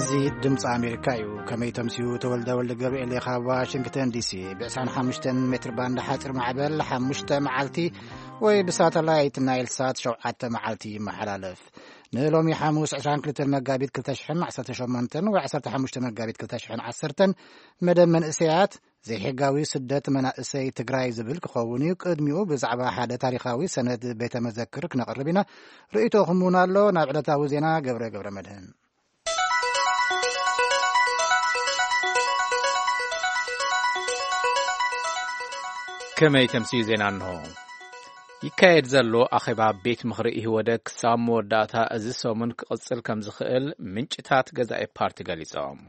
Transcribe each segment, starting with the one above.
እዚ ድምፂ ኣሜሪካ እዩ። ከመይ ተምስዩ? ተወልደ ወልደ ገብርኤል እየ ካብ ዋሽንግተን ዲሲ። ብ25 ሜትር ባንድ ሓፂር ማዕበል ሓሙሽተ መዓልቲ ወይ ብሳተላይት ናይል ሳት ሸውዓተ መዓልቲ ይመሓላለፍ። ንሎሚ ሓሙስ ዕስራን ክልተን መጋቢት ክልተ ሽሕን ዓሰርተ ሸሞንተን ወይ ዓሰርተ ሓሙሽተ መጋቢት ክልተ ሽሕን ዓሰርተን መደብ መንእሰያት ዘይሕጋዊ ስደት መናእሰይ ትግራይ ዝብል ክኸውን እዩ። ቅድሚኡ ብዛዕባ ሓደ ታሪኻዊ ሰነድ ቤተ መዘክር ክነቕርብ ኢና። ርእይቶኹም እውን ኣሎ። ናብ ዕለታዊ ዜና ገብረ ገብረ መድህን። ከመይ ተምስዩ ዜና እንሆ። ይካየድ ዘሎ ኣኼባ ቤት ምኽሪ ኢህወደግ ክሳብ መወዳእታ እዚ ሰሙን ክቕጽል ከም ዝኽእል ምንጭታት ገዛኢ ፓርቲ ገሊጾም።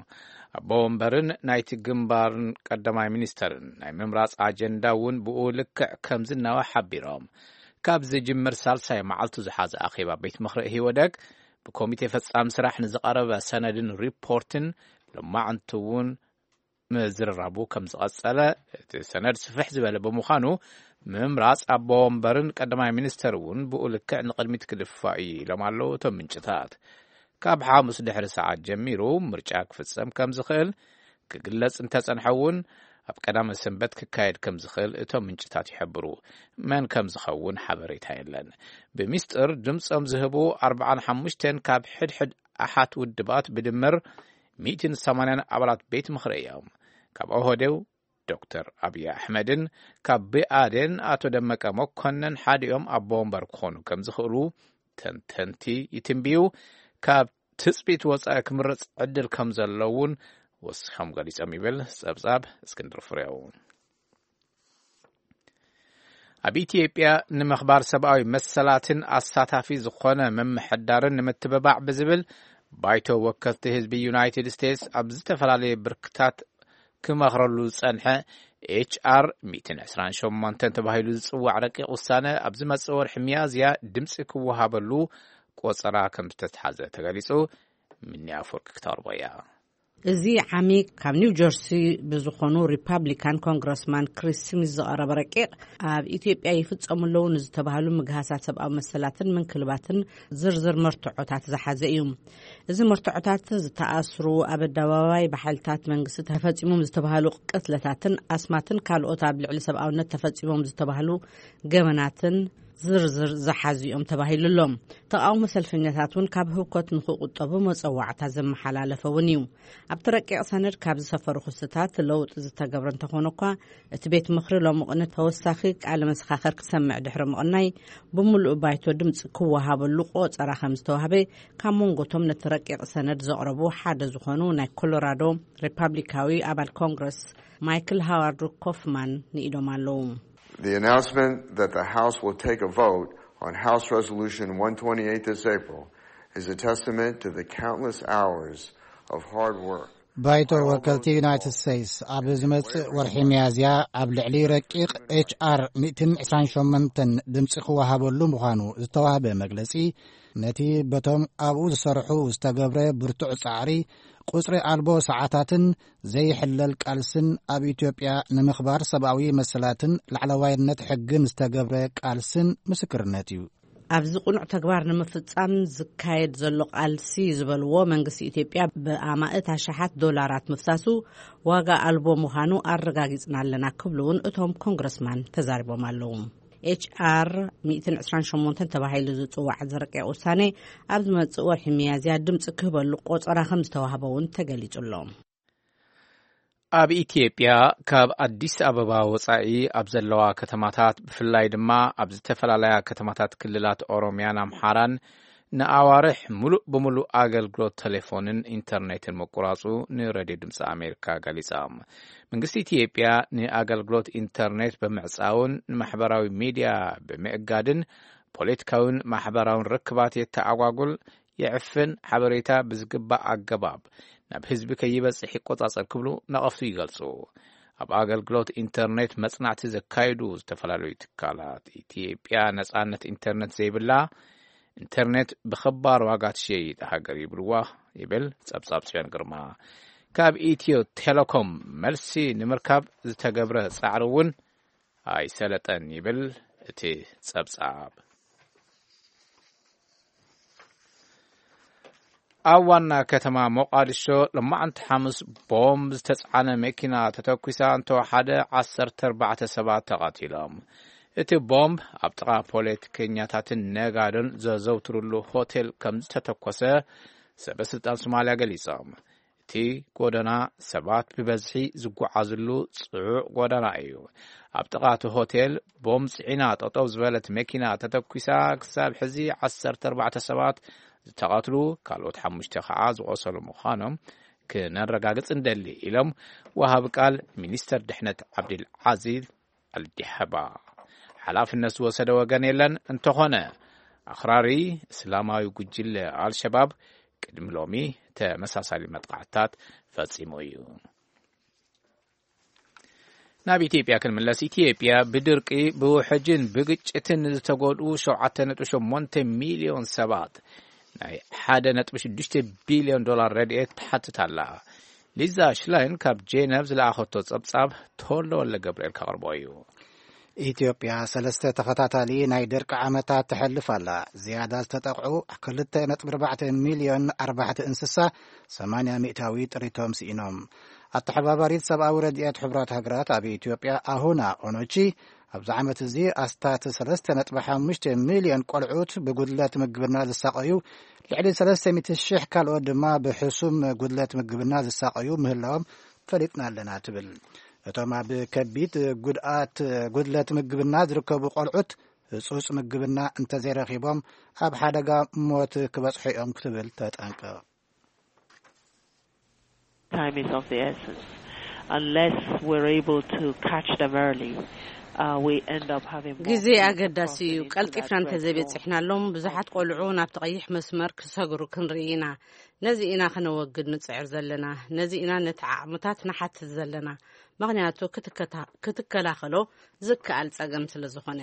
ኣቦ ወንበርን ናይቲ ግንባርን ቀዳማይ ሚኒስተርን ናይ ምምራጽ ኣጀንዳ እውን ብኡ ልክዕ ከም ዝናወ ሓቢሮም። ካብ ዝጅምር ሳልሳይ መዓልቱ ዝሓዘ ኣኼባ ቤት ምኽሪ ኢህወደግ ብኮሚቴ ፈጻሚ ስራሕ ንዝቐረበ ሰነድን ሪፖርትን ሎማዕንቲ እውን ምዝርራቡ ከም ዝቐጸለ፣ እቲ ሰነድ ስፍሕ ዝበለ ብምዃኑ፣ ምምራጽ ኣቦ ወንበርን ቀዳማይ ሚኒስተር እውን ብኡ ልክዕ ንቕድሚት ክድፋእ እዩ ኢሎም ኣለዉ እቶም ምንጭታት። ካብ ሓሙስ ድሕሪ ሰዓት ጀሚሩ ምርጫ ክፍጸም ከም ዝኽእል ክግለጽ እንተጸንሐ እውን፣ ኣብ ቀዳመ ሰንበት ክካየድ ከም ዝኽእል እቶም ምንጭታት ይሕብሩ። መን ከም ዝኸውን ሓበሬታ የለን። ብሚስጥር ድምጾም ዝህቡ ኣርባዓን ሓሙሽተን ካብ ሕድሕድ ኣሓት ውድባት ብድምር ሚእትን ሰማንያን ኣባላት ቤት ምኽሪ እዮም። ካብ ኦህዴው ዶክተር ኣብይ ኣሕመድን ካብ ብኣዴን ኣቶ ደመቀ መኮንን ሓዲኦም ኣቦ ወንበር ክኾኑ ከም ዝኽእሉ ተንተንቲ ይትንብዩ። ካብ ትጽቢት ወጻኢ ክምረጽ ዕድል ከም ዘሎ እውን ወሲኾም ገሊጾም ይብል ጸብጻብ እስክንድር ፍሬው። ኣብ ኢትዮጵያ ንምኽባር ሰብኣዊ መሰላትን ኣሳታፊ ዝኾነ ምምሕዳርን ንምትብባዕ ብዝብል ባይቶ ወከልቲ ህዝቢ ዩናይትድ ስቴትስ ኣብ ዝተፈላለየ ብርክታት ክመኽረሉ ዝጸንሐ ኤች ኣር ሚእትን ዕስራን ሸሞንተን ተባሂሉ ዝጽዋዕ ረቂቕ ውሳነ ኣብ ዝመጽእ ወርሒ ሚያዝያ ድምጺ ክወሃበሉ ቆጸራ ከም ዝተትሓዘ ተገሊጹ። ምኒ ኣፈወርቂ ክተቕርቦ እያ። እዚ ዓሚ ካብ ኒው ጀርሲ ብዝኾኑ ሪፓብሊካን ኮንግረስማን ክሪስ ስሚዝ ዝቐረበ ረቂቕ፣ ኣብ ኢትዮጵያ ይፍጸሙ ኣለዉ ንዝተባህሉ ምግሃሳት ሰብኣዊ መሰላትን ምንክልባትን ዝርዝር መርትዖታት ዝሓዘ እዩ። እዚ መርትዖታት ዝተኣስሩ፣ ኣብ ኣደባባይ ብሓይልታት መንግስቲ ተፈጺሞም ዝተባህሉ ቅትለታትን ኣስማትን ካልኦት ኣብ ልዕሊ ሰብኣውነት ተፈጺሞም ዝተባህሉ ገበናትን ዝርዝር ዝሓዙ እዮም ተባሂሉ ኣሎ። ተቓውሞ ሰልፈኛታት እውን ካብ ህውከት ንኽቁጠቡ መጸዋዕታ ዘመሓላለፈ እውን እዩ። ኣብቲ ረቂቕ ሰነድ ካብ ዝሰፈሩ ክስታት ለውጢ ዝተገብረ እንተኾነ እኳ፣ እቲ ቤት ምኽሪ ሎሚ ቅነ ተወሳኺ ቃለ መሰኻኸር ክሰምዕ ድሕሪ ምቕናይ፣ ብምሉእ ባይቶ ድምፂ ክወሃበሉ ቆጸራ ከም ዝተዋህበ ካብ መንጎቶም ነቲ ረቂቕ ሰነድ ዘቕረቡ ሓደ ዝኾኑ ናይ ኮሎራዶ ሪፓብሊካዊ ኣባል ኮንግረስ ማይክል ሃዋርድ ኮፍማን ንኢዶም ኣለዉ። The announcement that the House will take a vote on House Resolution one twenty-eight this April is a testament to the countless hours of hard work. ባይቶ ወከልቲ ዩናይትድ ስቴትስ ኣብ ዝመጽእ ወርሒ ሚያዝያ ኣብ ልዕሊ ረቂቕ ኤች ኣር ሚእትን ዕስራን ሸሞንተን ድምጺ ክወሃበሉ ምዃኑ ዝተዋህበ መግለጺ፣ ነቲ በቶም ኣብኡ ዝሰርሑ ዝተገብረ ብርቱዕ ጻዕሪ፣ ቁጽሪ ኣልቦ ሰዓታትን ዘይሕለል ቃልስን ኣብ ኢትዮጵያ ንምኽባር ሰብኣዊ መሰላትን ላዕለዋይነት ሕግን ዝተገብረ ቃልስን ምስክርነት እዩ። ኣብዚ ቅኑዕ ተግባር ንምፍጻም ዝካየድ ዘሎ ቃልሲ ዝበልዎ፣ መንግስቲ ኢትዮጵያ ብኣማእት ኣሽሓት ዶላራት ምፍሳሱ ዋጋ ኣልቦ ምዃኑ ኣረጋጊጽና ኣለና ክብሉ እውን እቶም ኮንግረስማን ተዛሪቦም ኣለዉ። ኤች ኣር ሚእትን ዕስራን ሸሞንተን ተባሂሉ ዝጽዋዕ ዝረቂቕ ውሳኔ ኣብ ዝመጽእ ወርሒ ሚያዝያ ድምጺ ክህበሉ ቆጸራ ከም ዝተዋህበ እውን ተገሊጹ ኣሎ። ኣብ ኢትዮጵያ ካብ ኣዲስ ኣበባ ወጻኢ ኣብ ዘለዋ ከተማታት፣ ብፍላይ ድማ ኣብ ዝተፈላለያ ከተማታት ክልላት ኦሮሚያን ኣምሓራን፣ ንኣዋርሕ ሙሉእ ብሙሉእ ኣገልግሎት ቴሌፎንን ኢንተርኔትን ምቁራጹ ንሬድዮ ድምፂ ኣሜሪካ ገሊጻ። መንግስቲ ኢትዮጵያ ንኣገልግሎት ኢንተርኔት ብምዕጻውን ንማሕበራዊ ሚድያ ብምእጋድን ፖለቲካውን ማሕበራውን ርክባት የተኣጓጉል፣ የዕፍን፣ ሓበሬታ ብዝግባእ ኣገባብ ናብ ህዝቢ ከይበጽሕ ይቆጻጸር ክብሉ ነቐፍቱ ይገልጹ። ኣብ ኣገልግሎት ኢንተርኔት መጽናዕቲ ዘካየዱ ዝተፈላለዩ ትካላት፣ ኢትዮጵያ ነጻነት ኢንተርኔት ዘይብላ፣ ኢንተርኔት ብኸባር ዋጋ ትሸይጥ ሃገር ይብልዋ ይብል ጸብጻብ ጽዮን ግርማ። ካብ ኢትዮ ቴሌኮም መልሲ ንምርካብ ዝተገብረ ጻዕሪ እውን ኣይሰለጠን ይብል እቲ ጸብጻብ። ኣብ ዋና ከተማ ሞቓዲሾ ሎማዕንቲ ሓሙስ ቦምብ ዝተጻዕነ መኪና ተተኲሳ እንተወሓደ ዓሰርተ ኣርባዕተ ሰባት ተቐቲሎም። እቲ ቦምብ ኣብ ጥቓ ፖለቲከኛታትን ነጋዶን ዘዘውትሩሉ ሆቴል ከም ዝተተኮሰ ሰበ ስልጣን ሶማልያ ገሊጾም። እቲ ጎደና ሰባት ብበዝሒ ዝጓዓዝሉ ጽዑቕ ጎደና እዩ። ኣብ ጥቓ እቲ ሆቴል ቦምብ ጽዒና ጠጠው ዝበለት መኪና ተተኲሳ ክሳብ ሕዚ ዓሰርተ ኣርባዕተ ሰባት ዝተቐትሉ፣ ካልኦት ሓሙሽተ ከዓ ዝቖሰሉ ምዃኖም ክነረጋግጽ እንደሊ ኢሎም ወሃቢ ቃል ሚኒስተር ድሕነት ዓብድል ዓዚዝ ኣልዲሐባ። ሓላፍነት ዝወሰደ ወገን የለን። እንተኾነ ኣኽራሪ እስላማዊ ጉጅለ ኣልሸባብ ቅድሚ ሎሚ ተመሳሳሊ መጥቃዕትታት ፈጺሙ እዩ። ናብ ኢትዮጵያ ክንምለስ። ኢትዮጵያ ብድርቂ ብውሕጅን ብግጭትን ዝተጎድኡ ሸውዓተ ነጥቢ ሸሞንተ ሚልዮን ሰባት ናይ ሓደ ነጥቢ ሽዱሽተ ቢልዮን ዶላር ረድኤት ትሓትት ኣላ። ሊዛ ሽላይን ካብ ጄነቭ ዝለኣኸቶ ጸብጻብ ተወልደ ወልደ ገብርኤል ከቕርቦ እዩ። ኢትዮጵያ ሰለስተ ተኸታታሊ ናይ ደርቂ ዓመታት ተሕልፍ ኣላ። ዝያዳ ዝተጠቕዑ ክልተ ነጥቢ ኣርባዕተ ሚልዮን ኣርባሕቲ እንስሳ ሰማንያ ሚእታዊ ጥሪቶም ስኢኖም። ኣተሓባባሪት ሰብኣዊ ረድኤት ሕቡራት ሃገራት ኣብ ኢትዮጵያ ኣሁና ኦኖቺ ኣብዚ ዓመት እዚ ኣስታት ሰለስተ ነጥቢ ሓሙሽተ ሚልዮን ቆልዑት ብጉድለት ምግብና ዝሳቐዩ፣ ልዕሊ ሰለስተ ሚእቲ ሽሕ ካልኦት ድማ ብሕሱም ጉድለት ምግብና ዝሳቐዩ ምህላዎም ፈሊጥና ኣለና ትብል። እቶም ኣብ ከቢድ ጉድኣት ጉድለት ምግብና ዝርከቡ ቆልዑት ህጹጽ ምግብና እንተዘይረኺቦም ኣብ ሓደጋ ሞት ክበጽሑ እዮም ክትብል ተጠንቅቕ። Time is of the essence. Unless we're able to catch them early, uh, we end up having more ግዜ kids ኣገዳሲ crossing እዩ። into that ቀልጢፍና red zone. እንተዘይበጺሕናሎም ብዙሓት ቆልዑ ናብቲ ቀይሕ መስመር ክሰግሩ ክንርኢ ኢና። ነዚ ኢና ከነወግድ ንጽዕር ዘለና። ነዚ ኢና ነቲ ዓቕምታት ንሓትት ዘለና። ምኽንያቱ ክትከታ- ክትከላኸሎ ዝከኣል ጸገም ስለ ዝኾነ።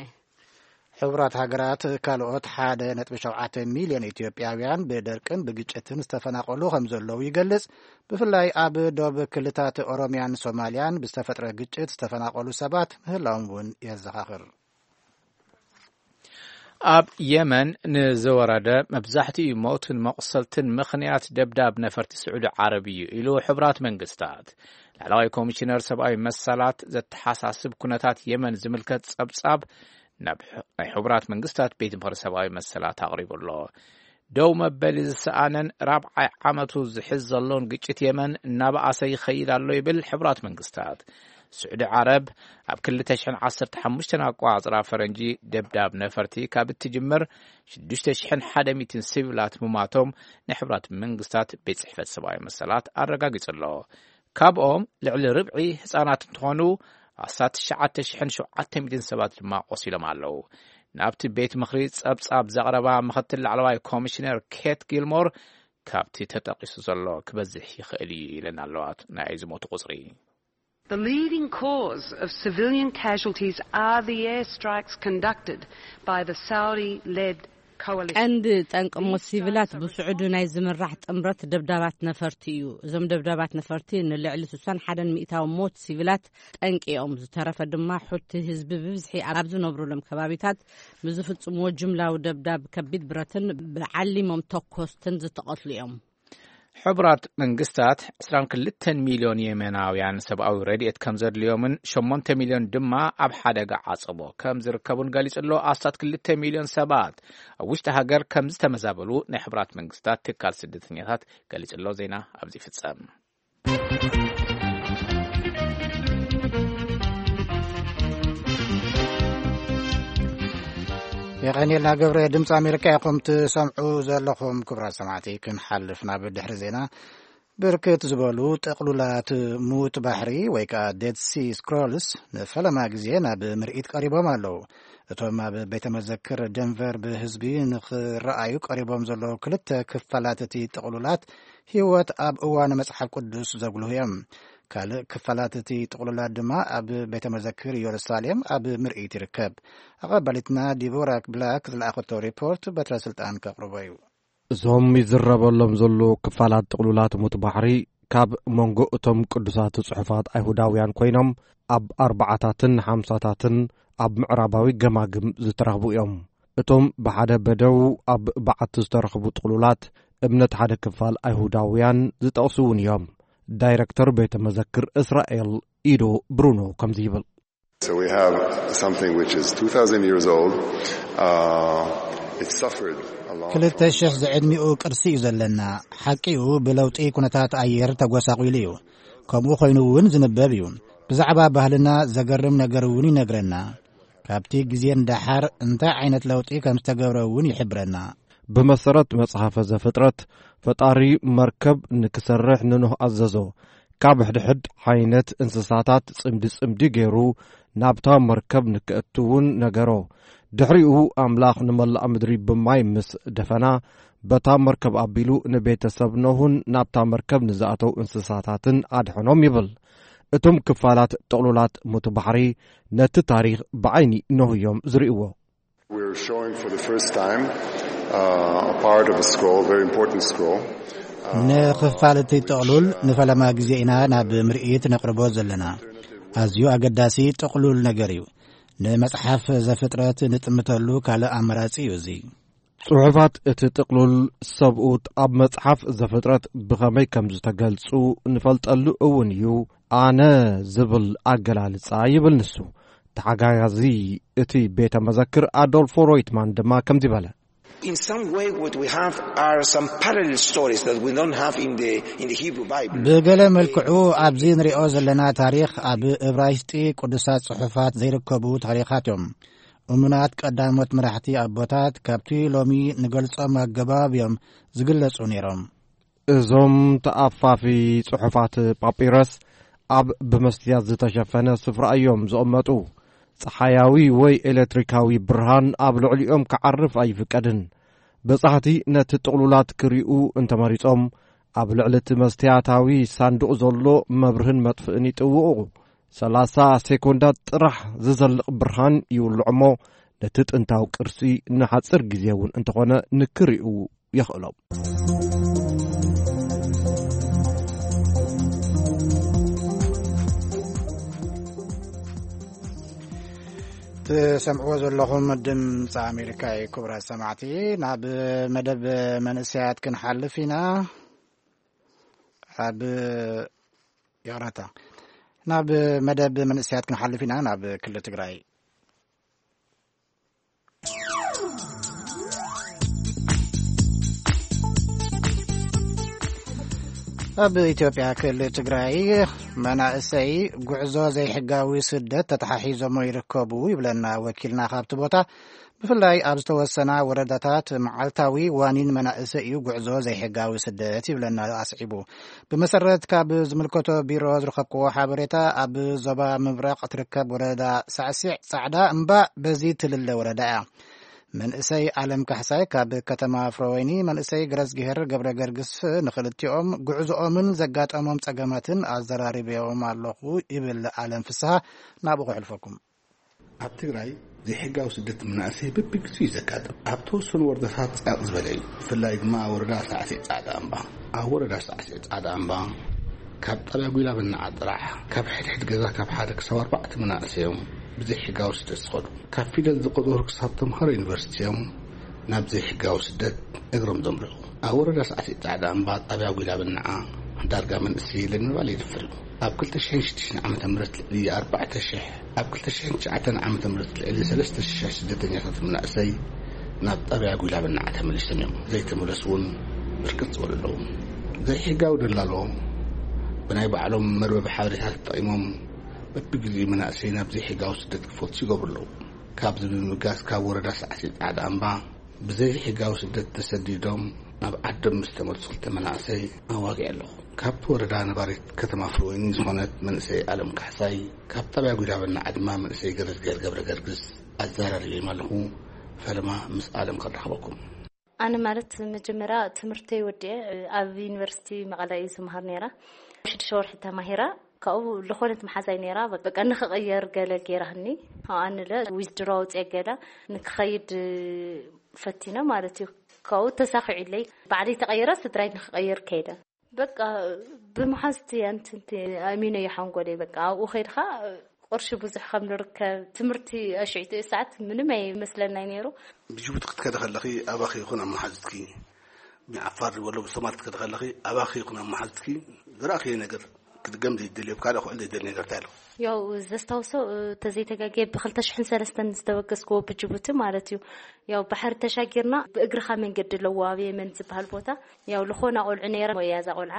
ሕቡራት ሃገራት ካልኦት ሓደ ነጥቢ ሸውዓተ ሚልዮን ኢትዮጵያውያን ብደርቅን ብግጭትን ዝተፈናቐሉ ከም ዘለዉ ይገልጽ። ብፍላይ ኣብ ዶብ ክልታት ኦሮሚያን ሶማልያን ብዝተፈጥረ ግጭት ዝተፈናቐሉ ሰባት ምህላዎም እውን የዘኻኽር። ኣብ የመን ንዝወረደ መብዛሕትኡ ሞትን መቑሰልትን ምኽንያት ደብዳብ ነፈርቲ ስዑዲ ዓረብ እዩ ኢሉ ሕቡራት መንግስታት። ላዕለዋይ ኮሚሽነር ሰብኣዊ መሰላት ዘተሓሳስብ ኩነታት የመን ዝምልከት ጸብጻብ ናብ ናይ ሕቡራት መንግስታት ቤት ምኽሪ ሰብኣዊ መሰላት ኣቕሪቡ ኣሎ። ደው መበሊ ዝሰኣነን ራብዓይ ዓመቱ ዝሕዝ ዘሎን ግጭት የመን እናበኣሰ ይኸይድ ኣሎ ይብል ሕቡራት መንግስታት። ስዑዲ ዓረብ ኣብ ክልተ ሽሕን ዓሰርተ ሓሙሽተን ኣቋጽራ ፈረንጂ ደብዳብ ነፈርቲ ካብ እትጅምር ሽዱሽተ ሽሕን ሓደ ሚእትን ሲቪላት ምማቶም ናይ ሕቡራት መንግስታት ቤት ጽሕፈት ሰብኣዊ መሰላት ኣረጋጊጹ ኣሎ። ካብኦም ልዕሊ ርብዒ ህጻናት እንትኾኑ ኣስታት ትሽዓተ ሽሕን ሸውዓተ ሚእትን ሰባት ድማ ቆሲሎም ኣለዉ። ናብቲ ቤት ምኽሪ ጸብጻብ ዘቕረባ ምኽትል ላዕለዋይ ኮሚሽነር ኬት ጊልሞር፣ ካብቲ ተጠቒሱ ዘሎ ክበዝሕ ይኽእል እዩ ኢለን ኣለዋ ናይ ዝሞቱ ቁጽሪ። The leading cause of civilian casualties are the airstrikes conducted by the Saudi-led coalition. ቀንዲ ጠንቂ ሞት ሲቪላት ብስዑዲ ናይ ዝምራሕ ጥምረት ደብዳባት ነፈርቲ እዩ። እዞም ደብዳባት ነፈርቲ ንልዕሊ ስሳን ሓደን ሚእታዊ ሞት ሲቪላት ጠንቂ እዮም። ዝተረፈ ድማ ሑቲ ህዝቢ ብብዝሒ ኣብ ዝነብሩሎም ከባቢታት ብዝፍጽምዎ ጅምላዊ ደብዳብ ከቢድ ብረትን ብዓሊሞም ተኮስትን ዝተቐትሉ እዮም። ሕቡራት መንግስታት ዕስራን ክልተን ሚልዮን የመናውያን ሰብኣዊ ረድኤት ከም ዘድልዮምን ሸሞንተ ሚልዮን ድማ ኣብ ሓደጋ ዓጸቦ ከም ዝርከቡን ገሊጹ ኣሎ። ኣስታት ክልተ ሚልዮን ሰባት ኣብ ውሽጢ ሃገር ከም ዝተመዛበሉ ናይ ሕቡራት መንግስታት ትካል ስደተኛታት ገሊጹ ኣሎ። ዜና ኣብዚ ይፍጸም። የቐንየልና ገብረ። ድምፂ ኣሜሪካ ኢኹም ትሰምዑ ዘለኹም። ክቡራት ሰማዕቲ፣ ክንሓልፍ ናብ ድሕሪ ዜና። ብርክት ዝበሉ ጥቕሉላት ሙት ባሕሪ ወይ ከዓ ዴድ ሲ ስክሮልስ ንፈለማ ግዜ ናብ ምርኢት ቀሪቦም ኣለዉ። እቶም ኣብ ቤተ መዘክር ደንቨር ብህዝቢ ንኽረኣዩ ቀሪቦም ዘለዉ ክልተ ክፋላት እቲ ጥቕሉላት ህይወት ኣብ እዋን መጽሓፍ ቅዱስ ዘጉልሁ እዮም። ካልእ ክፋላት እቲ ጥቕሉላት ድማ ኣብ ቤተ መዘክር ኢየሩሳሌም ኣብ ምርኢት ይርከብ። ኣቐባሊትና ዲቦራ ብላክ ዝለኣኸቶ ሪፖርት በትረ ስልጣን ከቕርቦ እዩ። እዞም ይዝረበሎም ዘለዉ ክፋላት ጥቕሉላት ሙት ባሕሪ ካብ መንጎ እቶም ቅዱሳት ጽሑፋት ኣይሁዳውያን ኮይኖም ኣብ ኣርባዓታትን ሓምሳታትን ኣብ ምዕራባዊ ገማግም ዝተረኽቡ እዮም። እቶም ብሓደ በደው ኣብ በዓቲ ዝተረኽቡ ጥቕሉላት እምነት ሓደ ክፋል ኣይሁዳውያን ዝጠቕሱ እውን እዮም። ዳይረክተር ቤተ መዘክር እስራኤል ኢዶ ብሩኖ ከምዚ ይብል። So we have something which is two thousand years old. Uh, it suffered a lot. ክልተ ሺሕ ዝዕድሚኡ ቅርሲ እዩ ዘለና። ሓቂኡ ብለውጢ ኩነታት ኣየር ተጎሳቒሉ እዩ። ከምኡ ኮይኑ እውን ዝንበብ እዩ። ብዛዕባ ባህልና ዘገርም ነገር እውን ይነግረና። ካብቲ ግዜ ንደሓር እንታይ ዓይነት ለውጢ ከም ዝተገብረ እውን ይሕብረና። ብመሰረት መጽሓፈ ዘፍጥረት፣ ፈጣሪ መርከብ ንክሰርሕ ንኖህ ኣዘዞ። ካብ ሕድሕድ ዓይነት እንስሳታት ጽምዲ ጽምዲ ገይሩ ናብታ መርከብ ንክእትውን ነገሮ። ድሕሪኡ ኣምላኽ ንመላእ ምድሪ ብማይ ምስ ደፈና፣ በታ መርከብ ኣቢሉ ንቤተሰብ ኖህን ናብታ መርከብ ንዝኣተው እንስሳታትን ኣድሐኖም ይብል። እቶም ክፋላት ጥቕሉላት ሙት ባሕሪ ነቲ ታሪኽ ብዓይኒ ኖህ እዮም ዝርእይዎ። We're showing for the first time, uh, a part of a scroll, a very important scroll. ንኽፋል እቲ ጥቕሉል ንፈለማ ግዜ ኢና ናብ ምርኢት ነቕርቦ ዘለና። ኣዝዩ ኣገዳሲ ጥቕሉል ነገር እዩ። ንመጽሓፍ ዘፍጥረት ንጥምተሉ ካልእ ኣማራጺ እዩ እዚ። ጽሑፋት እቲ ጥቕሉል ሰብኡት ኣብ መጽሓፍ ዘፍጥረት ብኸመይ ከም ዝተገልጹ ንፈልጠሉ እውን እዩ። ኣነ ዝብል ኣገላልጻ ይብል ንሱ። ተሓጋጋዚ እቲ ቤተ መዘክር ኣዶልፎ ሮይትማን ድማ ከምዚ በለ። In some way, what we have are some parallel stories that we don't have in the, in the Hebrew Bible. ብገለ መልክዑ ኣብዚ ንሪኦ ዘለና ታሪኽ ኣብ እብራይስጢ ቅዱሳት ጽሑፋት ዘይርከቡ ታሪኻት እዮም። እሙናት ቀዳሞት መራሕቲ ኣቦታት ካብቲ ሎሚ ንገልጾም ኣገባብ እዮም ዝግለጹ ነይሮም። እዞም ተኣፋፊ ጽሑፋት ጳጲረስ ኣብ ብመስትያት ዝተሸፈነ ስፍራ እዮም ዝቕመጡ። ጸሓያዊ ወይ ኤሌክትሪካዊ ብርሃን ኣብ ልዕሊኦም ክዓርፍ ኣይፍቀድን። በጻሕቲ ነቲ ጥቕሉላት ክሪኡ እንተመሪጾም፣ ኣብ ልዕሊ እቲ መስትያታዊ ሳንዱቕ ዘሎ መብርህን መጥፍእን ይጥውቑ። ሰላሳ ሴኮንዳት ጥራሕ ዝዘልቕ ብርሃን ይውልዖ እሞ፣ ነቲ ጥንታዊ ቅርሲ ንሓጺር ግዜ እውን እንተኾነ ንክሪኡ የኽእሎም። ትሰምዕዎ ዘለኹም ድምፂ ኣሜሪካ እዩ። ክቡራት ሰማዕቲ፣ ናብ መደብ መንእሰያት ክንሓልፍ ኢና። ኣብ፣ ይቕረታ፣ ናብ መደብ መንእሰያት ክንሓልፍ ኢና። ናብ ክልል ትግራይ፣ ኣብ ኢትዮጵያ ክልል ትግራይ መናእሰይ ጉዕዞ ዘይሕጋዊ ስደት ተተሓሒዞሞ ይርከቡ ይብለና ወኪልና ካብቲ ቦታ። ብፍላይ ኣብ ዝተወሰና ወረዳታት መዓልታዊ ዋኒን መናእሰይ እዩ ጉዕዞ ዘይሕጋዊ ስደት ይብለና ኣስዒቡ። ብመሰረት ካብ ዝምልከቶ ቢሮ ዝረኸብክዎ ሓበሬታ፣ ኣብ ዞባ ምብራቕ ትርከብ ወረዳ ሳዕሲዕ ጻዕዳ እምባ በዚ ትልለ ወረዳ እያ። መንእሰይ ኣለም ካሕሳይ ካብ ከተማ ፍረወይኒ መንእሰይ ገረዝግሄር ገብረ ገርግስ ንኽልቲኦም ጉዕዞኦምን ዘጋጠሞም ጸገማትን ኣዘራሪበዮም ኣለኹ ይብል ኣለም ፍስሃ። ናብኡ ከሕልፈኩም። ኣብ ትግራይ ዘይሕጋዊ ስደት መናእሰይ በብግዜኡ እዩ ዘጋጥም። ኣብ ተወሰኑ ወረዳታት ጻቕ ዝበለ እዩ። ብፍላይ ድማ ወረዳ ሳዕሲዕ ጻዕዳ እምባ። ኣብ ወረዳ ሳዕሲዕ ጻዕዳ እምባ ካብ ጣብያ ጉላ ብናዓ ጥራሕ ካብ ሕድሕድ ገዛ ካብ ሓደ ክሳብ ኣርባዕተ መናእሰይ እዮም ብዘይሕጋዊ ስደት ዝኸዱ። ካብ ፊደል ዝቆጸሩ ክሳብ ተምሃሮ ዩኒቨርሲቲ እዮም ናብ ዘይሕጋዊ ስደት እግሮም ዘምርሑ። ኣብ ወረዳ ሳዕሲዕ ጻዕዳ እምባ ጣብያ ጉላ ብናዓ ዳርጋ መንእሰይ የለን ምባል የድፍር እዩ። ኣብ ክልተ ሽሕን ሽዱሽተን ዓመተ ምህረት ልዕሊ ኣርባዕተ ሽሕ፣ ኣብ ክልተ ሽሕን ትሽዓተን ዓመተ ምህረት ልዕሊ ሰለስተ ሽሕ ስደተኛታት መናእሰይ ናብ ጣብያ ጉላ ብናዓ ተመሊሶም እዮም። ዘይተመለሱ እውን ብርክት ዝበሉ ኣለዉ። ዘይሕጋዊ ደላሎ ብናይ ባዕሎም መርበብ ሓበሬታ ተጠቒሞም በብግዜኡ መናእሰይ ናብ ዘይሕጋዊ ስደት ክፈቱ ይገብሩ ኣለዉ። ካብዚ ብምብጋስ ካብ ወረዳ ሳዕሲዕ ጻዕዳ እምባ ብዘይ ሕጋዊ ስደት ተሰዲዶም ናብ ዓዶም ምስ ተመልሱ ክልተ መናእሰይ ኣዋጊዐ ኣለኹ። ካብቲ ወረዳ ነባሪት ከተማ ፍርወይኒ ዝኾነት መንእሰይ ኣለም ካሕሳይ፣ ካብ ጣብያ ጉዳበና ዓድማ መንእሰይ ገረዝጌር ገብረ ገርግስ ኣዘራሪበዮም ኣለኹ። ፈለማ ምስ ኣለም ከራኽበኩም። ኣነ ማለት መጀመርያ ትምህርተይ ወዲኤ ኣብ ዩኒቨርሲቲ መቐለ እዩ ዝመሃር ነይራ። ሽዱሽተ ወርሒ ተማሂራ ካብኡ ዝኾነት መሓዛይ ነይራ። በቃ ንኽቕየር ገለ ገይራህኒ። ኣብኣ ንለ ዊዝድሮ ኣውፅኤ ገለ ንክኸይድ ፈቲነ ማለት እዩ። ካብኡ ተሳኺዑለይ። ባዕለይ ተቐይረ ስድራይ ንክቐይር ከይደ። በቃ ብመሓዝቲ ኣንትንቲ ኣሚነ እዩ ሓንጎለይ። በቃ ኣብኡ ከይድኻ ቅርሺ ብዙሕ ከም ንርከብ ትምህርቲ ኣሽዒቱ ሰዓት ምንም ኣይመስለናይ ነይሩ። ብጅቡቲ ክትከደ ከለኺ ኣባኺ ይኹን ኣብ መሓዝትኪ ብዓፋር ዝበሎ ብሶማል ክትከደ ከለኺ ኣባኺ ይኹን ኣብ መሓዝትኪ ዝረኣኽዮ ነገር ክድገም ዘይደልዮ፣ ካልእ ክውዕል ዘይደልዮ ነገር እንታይ ኣሎ? ያው ዘስታውሶ ተዘይተጋጌ ብ2003 ዝተበገስኩዎ ብጅቡቲ ማለት እዩ። ያው ባሕሪ ተሻጊርና ብእግርኻ መንገዲ ኣለዎ ኣብ የመን ዝበሃል ቦታ። ያው ዝኾና ቆልዑ ነይረ፣ ሞያ እዛ ቆልዓ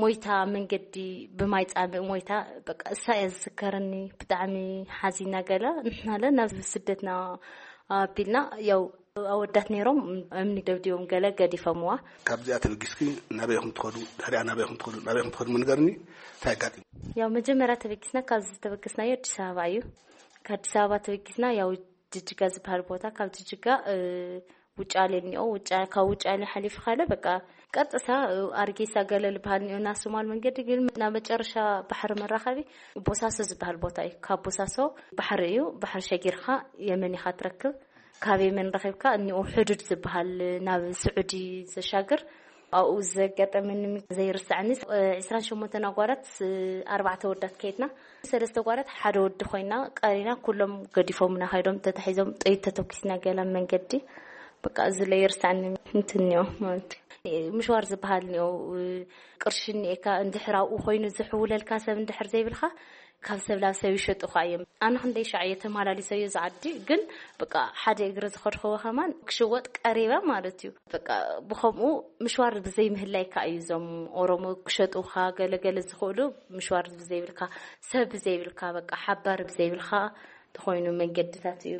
ሞይታ መንገዲ ብማይ ጻምእ ሞይታ። በቃ እሳ እያ ዝዝከረኒ። ብጣዕሚ ሓዚና ገለ ንሕናለ ናብ ስደትና ኣቢልና ያው ኣወዳት ነይሮም እምኒ ደብዲቦም ገለ ገዲፎምዋ። ካብዚኣ ተበጊስኪ ናበይ ኢኹም ትኸዱ? ድሕሪኣ ናበይ ኢኹም ትኸዱ? ናበይ ኢኹም ትኸዱ? ምንገርኒ እንታይ ኣጋጢሙ? ያው መጀመርያ ተበጊስና ካብዚ ዝተበገስናዮ ኣዲስ ኣበባ እዩ። ከኣዲስ ኣበባ ተበጊስና ያው ጅጅጋ ዝበሃል ቦታ፣ ካብ ጅጅጋ ውጫሌ እኒኦ፣ ውጫ ካብ ውጫሌ ሓሊፍካለ በቃ ቀጥታ ኣርጌሳ ገለ ዝበሃል እኒኦ፣ ናብ ሶማል መንገዲ ግን ናብ መጨረሻ ባሕሪ መራኸቢ ቦሳሶ ዝበሃል ቦታ እዩ። ካብ ቦሳሶ ባሕሪ እዩ፣ ባሕሪ ሸጊርካ የመን ኢኻ ትረክብ። ካብ የመን ረኺብካ እኒኦ ሕዱድ ዝበሃል ናብ ስዑዲ ዘሻግር ኣብኡ ዘጋጠመኒ ዘይርሳዕኒ። 28 ኣጓላት፣ ኣርባዕተ ወዳት ከይድና፣ ሰለስተ ጓላት ሓደ ወዲ ኮይና ቀሪና፣ ኩሎም ገዲፎምና ከይዶም ተታሒዞም ጥይት ተተኩስና ገላ መንገዲ። በቃ እዚ ለይርሳዕኒ እንትን እኒኦ ማለት እዩ። ምሽዋር ዝበሃል እኒኦ፣ ቅርሺ እኒኤካ እንድሕር ኣብኡ ኮይኑ ዝሕውለልካ ሰብ እንድሕር ዘይብልካ ካብ ሰብ ናብ ሰብ ይሸጡኻ እዮም። ኣነ ክንደይ ሻዕ እየ ተመላሊሰዮ ዝዓዲ፣ ግን በቃ ሓደ እግሪ ዝኸድኸዎ ከማን ክሽወጥ ቀሪበ ማለት እዩ። በቃ ብኸምኡ ምሽዋር ብዘይ ምህላይካ እዩ። እዞም ኦሮሞ ክሸጡኻ ገለገለ ዝኽእሉ ምሽዋር ብዘይብልካ፣ ሰብ ብዘይብልካ፣ በቃ ሓባር ብዘይብልካ ተኾይኑ መንገድታት እዩ።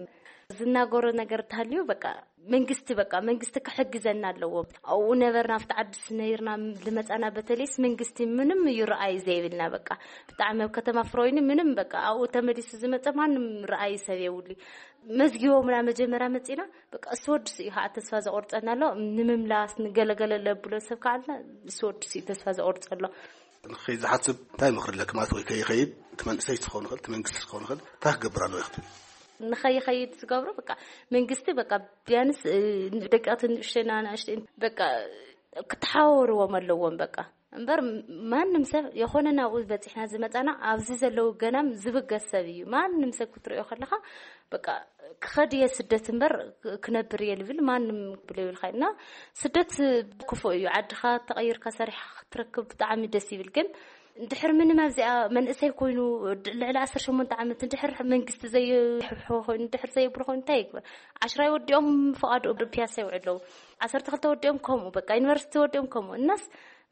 ዝናገሮ ነገር ተሃልዩ በቃ መንግስቲ በቃ መንግስቲ ክሕግዘና ኣለዎ። ኣብኡ ነበርና ኣብቲ ዓድስ ነይርና ልመጻና በተለይስ መንግስቲ ምንም እዩ ረኣይ ዘይብልና። በቃ ብጣዕሚ ኣብ ከተማ ፍሮይኒ ምንም በቃ ኣብኡ ተመሊሱ ዝመጸ ማንም ረኣይ ሰብ የውሊ። መዝጊቦምና መጀመርያ መጺና በቃ እሱ ወድስ እዩ ከዓ ተስፋ ዘቆርጸና ኣሎ። ንምምላስ ንገለገለ ለብሎ ሰብ ከዓ ኣልና እሱ ወድስ እዩ ተስፋ ዘቆርጸ ኣሎ። ንኸይ ዝሓስብ እንታይ ምኽሪ ኣለኪ ማለት ወይ ከይኸይድ እቲ መንእሰይ ክኸውን ይኽእል እቲ መንግስቲ ክኸውን ይኽእል እንታይ ክገብር ኣለዎ ክትብል? ንኸይኸይድ ዝገብሮ በቃ መንግስቲ በቃ ቢያንስ ደቂቕቲ ንእሽተና ንእሽተ በቃ ክተሓዋወርዎም ኣለዎም። በቃ እምበር ማንም ሰብ የኾነ ናብኡ በፂሕና ዝመፃና ኣብዚ ዘለዉ ገናም ዝብገስ ሰብ እዩ። ማንም ሰብ ክትሪኦ ከለኻ በቃ ክኸድ እየ ስደት እምበር ክነብር እየ ልብል ማንም ብሎ ይብልካ። እና ስደት ክፉእ እዩ። ዓድኻ ተቐይርካ ሰሪሕካ ክትረክብ ብጣዕሚ ደስ ይብል። ግን እንድሕር ምንም ኣብዚኣ መንእሰይ ኮይኑ ልዕሊ 18 ዓመት እንድሕር መንግስቲ ዘይሕብሖ ኮይኑ እንድሕር ዘየብሎ ኮይኑ እንታይ ይግበር? ዓሽራይ ወዲኦም ፍቓድ ፒያሳ ይውዕሉ ኣለዉ። ዓሰርተ ክልተ ወዲኦም ከምኡ በቃ ዩኒቨርሲቲ ወዲኦም ከምኡ እናስ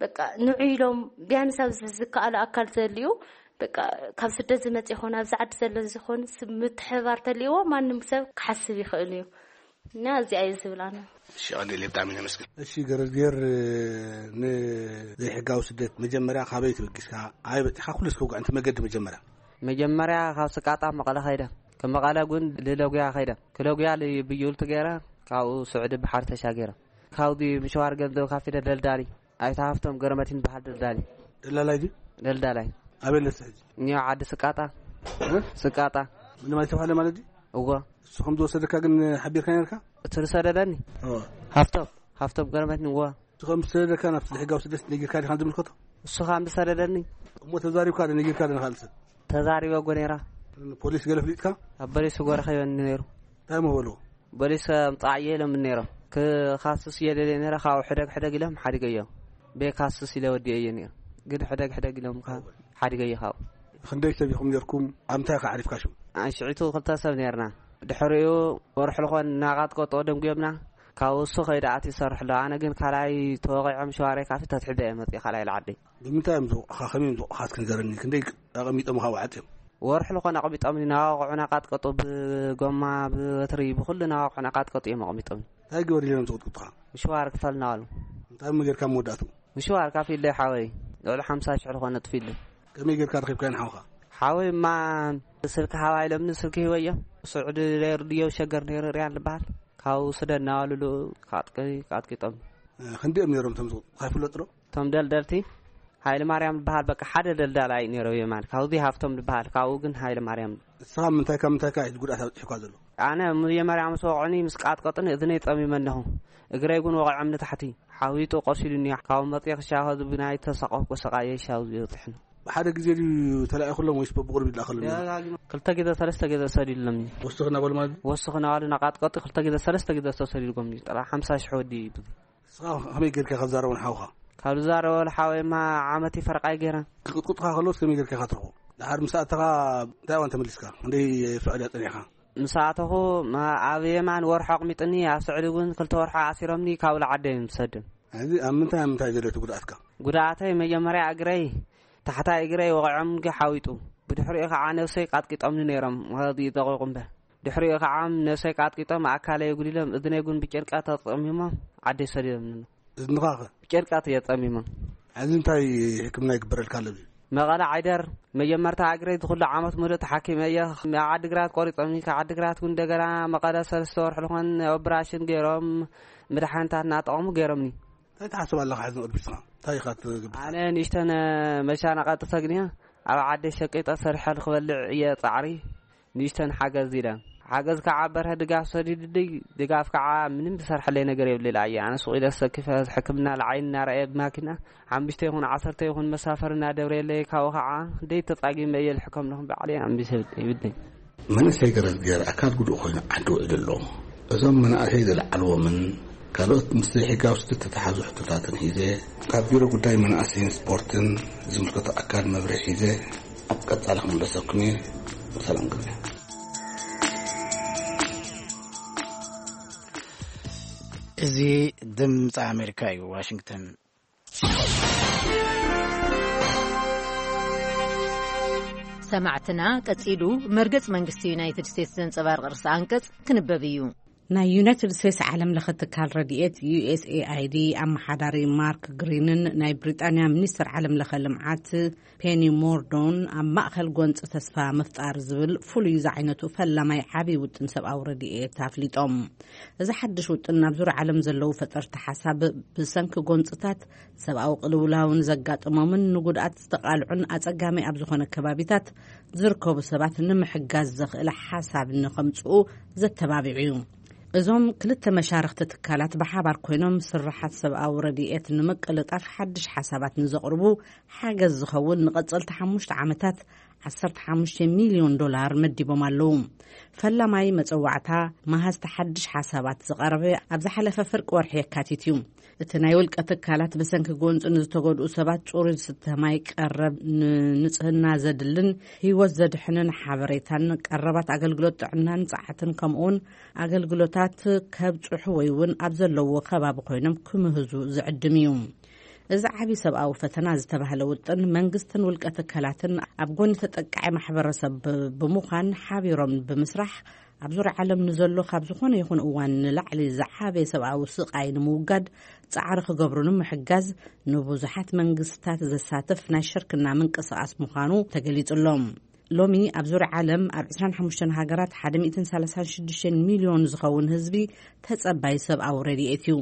በቃ ንዑ ኢሎም ቢያንስ ኣብዚ ዝከኣሉ ኣካል ዘልዩ በቃ ካብ ስደት ዝመጽእ ይኾን ኣብዚ ዓዲ ዘሎ ዝኾን ምትሕባር ተልይዎ ማንም ሰብ ክሓስብ ይኽእል እዩ። እና እዚኣ እዩ ዝብላና። እሺ ቀሊል ብጣዕሚ ነመስግን። እሺ ገረዝጌር፣ ንዘይሕጋዊ ስደት መጀመርያ ካበይ ተበጊስካ ኣበይ በፂኻ ኩሉ እስከ ውጋዕ እንተ መገዲ መጀመርያ? መጀመርያ ካብ ስቃጣ መቐለ ከይደ፣ ካብ መቐለ ግን ልለጉያ ከይደ፣ ክለጉያ ብዩልቲ ገይረ ካብኡ ስዑዲ ባሕሪ ተሻገረ። ካብዚ ምሸዋር ገንዘብ ካፊደ ደልዳሊ ኣይተ ሃፍቶም ገረመቲን በሃል ደልዳሊ። ደላላይ ድዩ? ደልዳላይ። ኣበይ ኣለስ ሕጂ? እኒኦ ዓዲ ስቃጣ። እ? ስቃጣ። ምንም ኣይተባህለ ማለት ድዩ? እዎ። እሱ ከም ዝወሰደካ ግን ሓቢርካ ነርካ? እቲ ዝሰደደኒ? እዎ። ሃፍቶም፣ ሃፍቶም ገረመቲን እዎ። እቲ ከም ዝሰደደካ ናብቲ ሕጋዊ ስደት ነጊርካ ዲኻ ዝምልከቶ? እሱ ከም ዝሰደደኒ። እሞ ተዛሪብካ ዶ ነጊርካ ዶ ንኻልእ ሰብ? ተዛሪበ እኮ ነይራ። ፖሊስ ገለ ፍሊጥካ? ኣብ ፖሊስ እኮ ረኺበኒ ነይሩ። እንታይ እሞ በልዎ? ፖሊስ ምጻዕ እየ ኢሎም ነይሮም። ክኻስስ እየ ደልየ ነይረ፣ ካብኡ ሕደግ ሕደግ ኢሎም ሓዲገዮ። ቤካስስ ኢለ ወዲኤ እየ ነይሩ። ግን ሕደግ ሕደግ ኢሎም ከ ሓዲገዮ ካብኡ። ክንደይ ሰብ ኢኹም ነይርኩም? ኣብ እንታይ ከ ዓሪፍካ ሽም? ኣንሽዒቱ ክልተ ሰብ ነይርና። ድሕሪኡ ወርሒ ልኾን እናቃጥቀጦ ደንጉዮምና። ካብኡ እሱ ከይደ ኣትዩ ይሰርሕ ኣሎ። ኣነ ግን ካልኣይ ተወቒዖም ሸዋረይ ካፊ ተትሒዘ እየ መፅእ ካልኣይ ልዓዲ። ብምንታይ እዮም ዝወቕኻ? ከመይ እዮም ዝወቕኻ? እስኪ ንገረኒ። ክንደይ ኣቐሚጦምኻ ወዓት እዮም? ወርሒ ልኾን ኣቐሚጦምኒ። ናዋቕዑ ናቃጥቀጡ ብጎማ ብበትሪ ብኩሉ ናዋቕዑ ናቃጥቀጡ እዮም ኣቐሚጦምኒ። እንታይ ግበር ኢሎም ዝቕጥቅጡኻ? ምሽዋር ክፈል እናበሉ። እንታይ እሞ ጌርካ መወዳእትኡ? ምሽዋር ካፊለይ ሓወይ ልዕሊ ሓምሳ ሽሕ ልኾነ ጥፊለይ። ከመይ ጌርካ ረኺብካዮ ንሓውኻ? ሓወይ እማ ስልኪ ሃባ ኢሎምኒ ስልኪ ሂበዮም። ስዑዲ ነይሩ ድዮ ሸገር ነይሩ ርያን ዝበሃል ካብኡ ስደድ እናበሉ ካጥቂ ካጥቂጦም። ክንዲኦም ነይሮም እቶም ዝቕጥቅጡ ይፍለጡ ዶ? እቶም ደልደልቲ ሃይለ ማርያም ዝበሃል በቃ ሓደ ደልዳላይ ነይሮ የማን ካብዚ ሃፍቶም ዝበሃል ካብኡ ግን ሃይለ ማርያም። ንስኻ ምንታይ ካብ ምንታይ ከ እዩ ጉድኣት ኣብፂሑካ ዘሎ? ኣነ መጀመርያ ምስ ወቕዑኒ ምስ ቃጥቀጡኒ እዝነይ ፀሚመ ኣለኹ። እግረይ እውን ወቒዖም ንታሕቲ ሓዊጡ ቆሲሉኒ። ካብ መፅየ ክሻኸ ዝብናይ ተሰቐፍኩ ሰቓየ ሻው ዝበፅሕኒ። ብሓደ ግዜ ድዩ ተላኢኹሎም ወይስ በብቑሩብ ይላእኸሎም ነይሩ? ደጋጊሙ ክልተ ግዜ ሰለስተ ግዜ ሰዲድሎም እዩ። ወስኽ እናበሉ ማለት ድዩ? ወስኽ እናበሉ ናቃጥቀጡ ክልተ ግዜ ሰለስተ ግዜ ተሰዲድጎም እዩ። ጥራ ሓምሳ ሽሕ ወዲ እዩ ብዙ። ንስኻ ከመይ ጌርካ ኢኻ ትዛረቦ ንሓውኻ? ካብ ዝዛረቦ ንሓወይማ ዓመት ይፈርቓይ ገይረ። ክቕጥቁጥካ ከለውስ ከመይ ጌርካ ኢኻ ትረኽቦ? ድሓር ምስ ኣተኻ እንታይ እዋን ተመሊስካ? ክንደይ ፍዕል እያ ጸኒሕካ? ምስ ኣተኹ፣ ማ-፣ ኣብ የማን ወርሑ ኣቕሚጥኒ፣ ኣብ ስዕዲ እውን ክልተ ወርሑ ኣሲሮምኒ፣ ካብ ላዓደ እዮም ዝሰድም። ሕዚ ኣብ ምንታይ ኣብ ምንታይ ዘሎ እቲ ጉድኣትካ? ጉድኣተይ መጀመርያ እግረይ፣ ታሕታይ እግረይ ወቒዖም ሓዊጡ። ብድሕሪኡ ከዓ ነብሰይ ቃጥቂጦምኒ ነይሮም፣ ወዲ ደቂቑ እምበር። ድሕሪኡ ከዓ ነብሰይ ቃጥቂጦም ኣካለይ ኣጉዲሎም፣ እዝነይ እውን ብጨርቃ ተጠሚሞም ዓደይ ሰዲዶምኒ። እዝንኻ ኸ? ብጨርቃ ተጠሚሞም። ሕዚ እንታይ ሕክምና ይግበረልካ ኣሎ? መቐለ ዓይደር መጀመርታ እግረይ ዝኹሉ ዓመት ሙሉእ ተሓኪመ እየ። ዓዲግራት ቆሪጾምኒ፣ ካብ ዓዲግራት እውን እንደገና መቐለ ሰለስተ ወርሒ ዝኾን ኦፕራሽን ገይሮም፣ መድሓኒታት እናጠቐሙ ገይሮምኒ። እንታይ ትሓስብ ኣለኻ ሕዚ ንቕድሚት ንስኻ? እንታይ ኢኻ ትግብር? ኣነ ንእሽተን መሻነቐጢ ሰግንዮ ኣብ ዓደይ ሸቂጠ ሰሪሐ ንክበልዕ እየ ጻዕሪ። ንእሽተን ሓገዝ ኢለ። ሓገዝ ከዓ በርሀ ድጋፍ ሰዲዱልይ፣ ድጋፍ ከዓ ምንም ዝሰርሐለይ ነገር የብለይ። ኣየ ኣነ ሱቕ ኢለ ሰኪፈ ሕክምና ልዓይኒ እናረኣየ ብማኪና ሓሙሽተ ይኹን ዓሰርተ ይኹን መሳፈሪ እናደብረየለይ፣ ካብኡ ከዓ ደይ ተጻጊመ እየ ልሕከም ኣለኹም ባዕለይ ኣምቢሰ ይብለይ። መንእሰይ ገረዝጌር ኣካል ጉዱእ ኮይኑ ዓዲ ውዒሉ ኣሎ። እዞም መናእሰይ ዝለዓልዎምን ካልኦት ምስ ዘይሕጋዊ ስደት ዝተተሓዙ ሕቶታትን ሒዘ ካብ ቢሮ ጉዳይ መናእሰይን ስፖርትን ዝምልከቶ ኣካል መብርሂ ሒዘ ኣብ ቀጻሊ ክምለሰኩም እየ። ሰላም ግዜ። እዚ ድምፂ ኣሜሪካ እዩ፣ ዋሽንግተን። ሰማዕትና፣ ቀጺሉ መርገጽ መንግስቲ ዩናይትድ ስቴትስ ዘንጸባርቕ ርእሰ ኣንቀጽ ክንበብ እዩ። ናይ ዩናይትድ ስቴትስ ዓለም ለኸ ትካል ረድኤት ዩ ኤስ ኤ ኣይ ዲ ኣመሓዳሪ ማርክ ግሪንን ናይ ብሪጣንያ ሚኒስትር ዓለም ለኸ ልምዓት ፔኒ ሞርዶን ኣብ ማእኸል ጎንፂ ተስፋ ምፍጣር ዝብል ፍሉይ ዝዓይነቱ ፈላማይ ዓብዪ ውጥን ሰብኣዊ ረድኤት ኣፍሊጦም። እዚ ሓድሽ ውጥን ኣብ ዙርያ ዓለም ዘለዉ ፈጠርቲ ሓሳብ ብሰንኪ ጎንፅታት ሰብኣዊ ቅልውላውን ዘጋጠሞምን ንጉድኣት ዝተቓልዑን ኣፀጋሚ ኣብ ዝኾነ ከባቢታት ዝርከቡ ሰባት ንምሕጋዝ ዘኽእል ሓሳብ ንኸምፅኡ ዘተባቢዑ እዩ። እዞም ክልተ መሻርኽቲ ትካላት ብሓባር ኮይኖም ስርሓት ሰብኣዊ ረድኤት ንምቅልጣፍ ሓድሽ ሓሳባት ንዘቕርቡ ሓገዝ ዝኸውን ንቐጸልቲ ሓሙሽተ ዓመታት ዓሰርተ ሓሙሽተ ሚልዮን ዶላር መዲቦም ኣለዉ። ፈላማይ መጸዋዕታ መሃዝቲ ሓድሽ ሓሳባት ዝቐረበ ኣብ ዝሓለፈ ፍርቂ ወርሒ የካቲት እዩ። እቲ ናይ ውልቀ ትካላት ብሰንኪ ጎንፂ ንዝተጎድኡ ሰባት ጽሩይ ዝስተ ማይ፣ ቀረብ ንንጽህና ዘድልን ህይወት ዘድሕንን ሓበሬታን፣ ቀረባት ኣገልግሎት ጥዕናን ጸዓትን ከምኡውን ኣገልግሎታት ከብጽሑ ወይ እውን ኣብ ዘለዎ ከባቢ ኮይኖም ክምህዙ ዝዕድም እዩ። እዚ ዓቢ ሰብኣዊ ፈተና ዝተባህለ ውጥን መንግስትን ውልቀ ትካላትን ኣብ ጎኒ ተጠቃዒ ማሕበረሰብ ብ-፣ ብምዃን ሓቢሮም ብምስራሕ ኣብ ዙርያ ዓለም ንዘሎ ካብ ዝኾነ ይኹን እዋን ንላዕሊ ዝዓበየ ሰብኣዊ ስቓይ ንምውጋድ ጻዕሪ ክገብሩ ንምሕጋዝ ንብዙሓት መንግስታት ዘሳትፍ ናይ ሽርክና ምንቅስቓስ ምዃኑ ተገሊጹ ኣሎ። ሎሚ ኣብ ዙርያ ዓለም ኣብ ዕስራን ሓሙሽተን ሃገራት ሓደ ሚእትን ሰላሳን ሽዱሽተን ሚልዮን ዝኸውን ህዝቢ ተጸባይ ሰብኣዊ ረድኤት እዩ።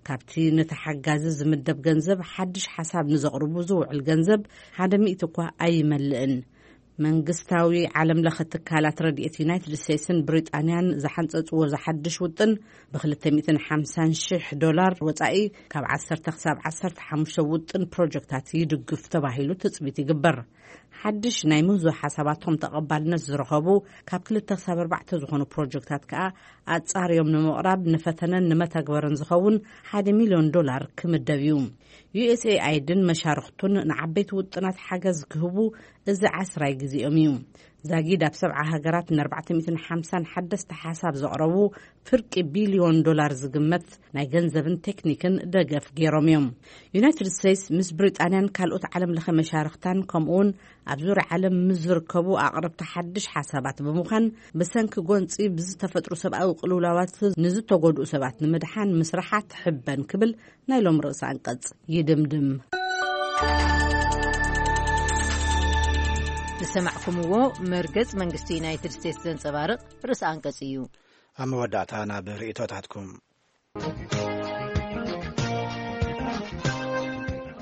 ካብቲ ነቲ ሓጋዚ ዝምደብ ገንዘብ ሓድሽ ሓሳብ ንዘቕርቡ ዝውዕል ገንዘብ ሓደ ሚእቲ እኳ ኣይመልእን። መንግስታዊ ዓለም ለኸ ትካላት ረድኤት ዩናይትድ ስቴትስን ብሪጣንያን ዝሓንጸጽዎ ዝሓድሽ ውጥን ብ ክልተ ሚእትን ሓምሳን ሽሕ ዶላር ወጻኢ ካብ ዓሰርተ ክሳብ ዓሰርተ ሓሙሽተ ውጥን ፕሮጀክታት ይድግፍ ተባሂሉ ትጽቢት ይግበር። ሓድሽ ናይ ምህዞ ሓሳባቶም ተቐባልነት ዝረኸቡ ካብ ክልተ ክሳብ ኣርባዕተ ዝኾኑ ፕሮጀክታት ከኣ ኣጻርዮም ንምቕራብ ንፈተነን ንመተግበርን ዝኸውን ሓደ ሚልዮን ዶላር ክምደብ እዩ። ዩ ኤስ ኤ ኣይ ዲን መሻርኽቱን ንዓበይቲ ውጥናት ሓገዝ ክህቡ እዚ ዓስራይ ግዜኦም እዩ። ዛጊድ ኣብ ሰብዓ ሃገራት ን ኣርባዕተ ሚእትን ሓምሳን ሓደስቲ ሓሳብ ዘቕረቡ ፍርቂ ቢልዮን ዶላር ዝግመት ናይ ገንዘብን ቴክኒክን ደገፍ ገይሮም እዮም። ዩናይትድ ስቴትስ ምስ ብሪጣንያን ካልኦት ዓለም ለኸ መሻርኽታን ከምኡውን ኣብ ዙርያ ዓለም ምስ ዝርከቡ ኣቕረብቲ ሓድሽ ሓሳባት ብምዃን ብሰንኪ ጎንፂ ብዝተፈጥሩ ሰብኣዊ ቅልውላዋት ንዝተጎድኡ ሰባት ንምድሓን ምስራሓ ትሕበን ክብል ናይ ሎም ርእሰ ኣንቀጽ ይድምድም። ዝሰማዕኩምዎ መርገጽ መንግስቲ ዩናይትድ ስቴትስ ዘንጸባርቕ ርእሰ ኣንቀጽ እዩ። ኣብ መወዳእታ ናብ ርእይቶታትኩም።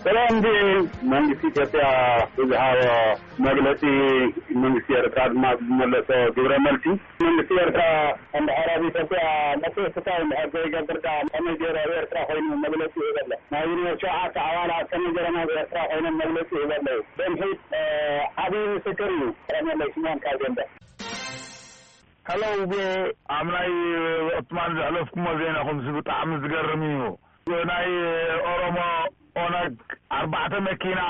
ሰላም፣ እንዲ መንግስቲ ኢትዮጵያ ብዝሃቦ መግለጺ፣ መንግስቲ ኤርትራ ድማ ብዝመለሶ ግብረ መልሲ፣ መንግስቲ ኤርትራ እንድሕር ኣብ ኢትዮጵያ መጥፍእትታ እንድሕር ዘይገብር፣ ከኣ ከመይ ገይሩ ኣብ ኤርትራ ኮይኑ መግለጺ ይህብ ኣሎ? ናይ ዩኒቨርሲቲ ሸውዓተ ኣባላት ከመይ ገይሮም ኣብ ኤርትራ ኮይኖም መግለጺ ይህቡ ኣለዉ? ደምሒት፣ እ፣ ዓብዪ ምስክር እዩ። ረመለይ ስምኦን ካብ ደንበ። ሄሎ፣ ውቤ፣ ኣብ ናይ ወቕትማን ዘሕለፍኩሞ ዜናኹምሲ ብጣዕሚ ዝገርም እዩ። ናይ ኦሮሞ ኦነግ ኣርባዕተ መኪና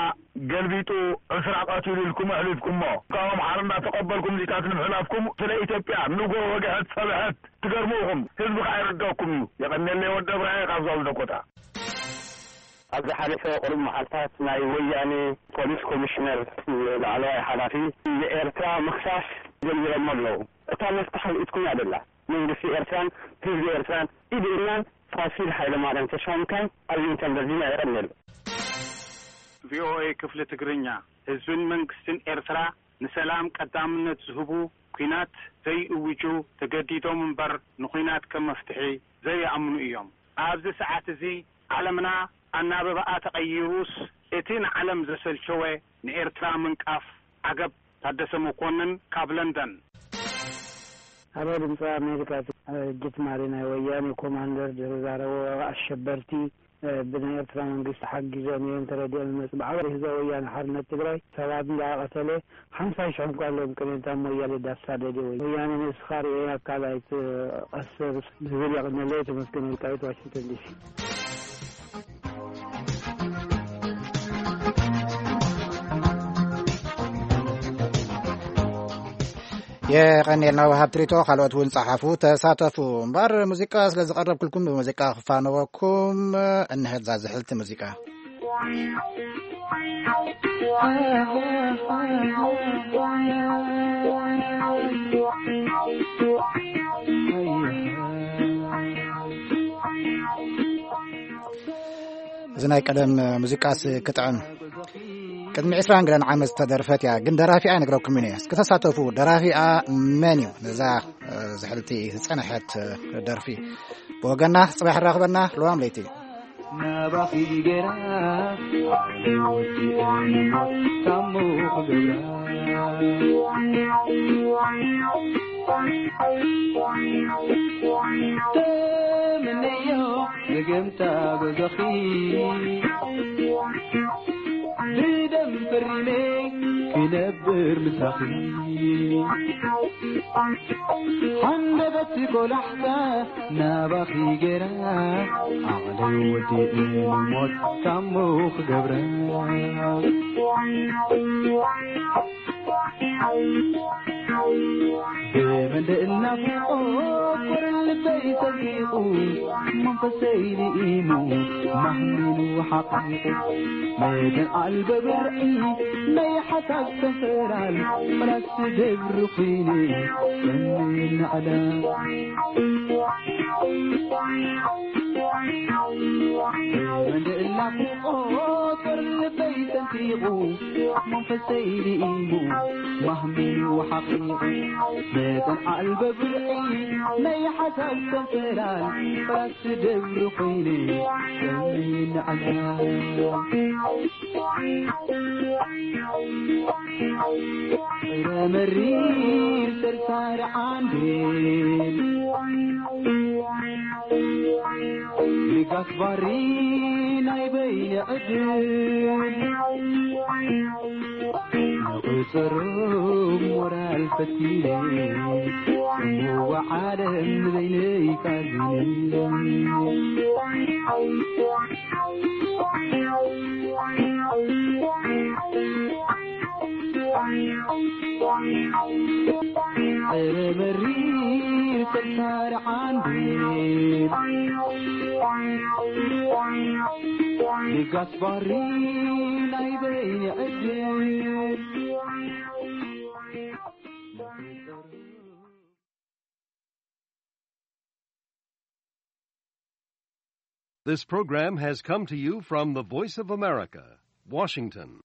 ገልቢጡ ዕስራ ቀቲሉ ኢልኩም ኣሕሊፍኩሞ። ካብ ኣምሓራ እንዳተቐበልኩም ዚታት ንምሕላፍኩም ስለ ኢትዮጵያ ንጎ ወግሐት ጸብሐት ትገርሙ ኢኹም። ህዝቢ ከኣ ይርደኩም እዩ። የቐንየለይ ወዲ እብራሂም ካብ ዞል ደኮታ። ኣብ ዝሓለፈ ቁሩብ መዓልታት ናይ ወያኔ ፖሊስ ኮሚሽነር ላዕለዋይ ሓላፊ ንኤርትራ ምኽሳስ ጀሚሮሞ ኣለዉ። እታ መፍትሕ ኢድኩም እያ ደላ። መንግስቲ ኤርትራን ህዝቢ ኤርትራን ኢድናን ፋሲል ሃይለማርያም ተሾምካን ኣብ ዊንተን ቨርጂኒያ። የቐንየሉ። ቪኦኤ ክፍሊ ትግርኛ። ህዝብን መንግስትን ኤርትራ ንሰላም ቀዳምነት ዝህቡ፣ ኲናት ዘይእውጁ፣ ተገዲዶም እምበር ንኲናት ከም መፍትሒ ዘይኣምኑ እዮም። ኣብዚ ሰዓት እዚ ዓለምና ኣናብባኣ ተቐይሩስ፣ እቲ ንዓለም ዘሰልቸወ ንኤርትራ ምንቃፍ። ዓገብ። ታደሰ መኮንን ካብ ለንደን። ኣብ ድምፂ ኣሜሪካ፣ ጅት ማሪ ናይ ወያኔ ኮማንደር ዝዛረቦ ኣሸበርቲ፣ ብናይ ኤርትራ መንግስቲ ሓጊዞም እዮም ተረዲኦም ይመፁ። ብዓባይ ህዝባዊ ወያነ ሓርነት ትግራይ ሰባት እንዳቀተለ ሓምሳ ሽሕ እንኳ ኣለዎም ቅኔታ ሞያሌ ዳሳደደ ወይ ወያነ ንስኻ ርኤ ኣካል ኣይትቐስር ዝብል የቕንየለይ። ተመስገን ወልቃይት፣ ዋሽንግተን ዲሲ። የቐንየልና ወሃብ ትሪቶ፣ ካልኦት እውን ጸሓፉ፣ ተሳተፉ። እምበር ሙዚቃ ስለ ዝቐረብኩልኩም ብሙዚቃ ክፋነወኩም። እንሀዛ ዝሕልቲ ሙዚቃ። እዚ ናይ ቀደም ሙዚቃስ ክጥዕም። ቅድሚ ዕስራን ገለን ዓመት ዝተደርፈት እያ፣ ግን ደራፊኣ ይነግረኩም እየ። እስኪ ተሳተፉ። ደራፊኣ መን እዩ? ነዛ፣ እ፣ ዝሕልቲ ዝጸንሐት፣ እ፣ ደርፊ። ብወገና ጽባሕ ራኽበና። ለዋም ለይቲ። ናባኺ ገይራ ዓቕሊ ወዲአ ታሞ ክገብራ። ተመነዮ ዘገምታ ገዛኺ ብደም ፈሪመ ክነብር ምሳኺ። ሓንደበት ቆላሕታ ናባኺ ገይራ ዓቕለይ ወዲኡ ንሞት ታሞ ክገብራ። ብመንደእ ናፍቆት ልበይ ሰንቂቑ መንፈሰይ ልኢሙ ማህሚኑ ሓቒቑ። መጠን ኣልበ ብርዒ ናይ ሓሳብ ሰንሰላል ፍራስ ደብሪ ኹይኑ ሰኒ ንዕላ። መጠን ናፍቆት ልበይ ሰንቂቑ መንፈሰይ ልኢሙ ማህሚኑ ሓቒቑ። መጠን ኣልበ ብርዒ ናይ ሓሳብ ሰንሰላል ፍራስ ደብሪ ኹይኑ ሰኒ ንዕላ። ፍረ መሪር ሰርሳር ዓንዴል ንጋስ ባሪ ናይ በይነ ዕድል ንቑጸሩ ሞራል ፈቲነ ጽምዋ ዓለም ንበይነይ ካዚነ። ዕረ መሪር ፈታሪ ዓንዲ ንጋስ ባሪ ናይ በይኒ ዕድል። This program has come to you from the Voice of America, Washington.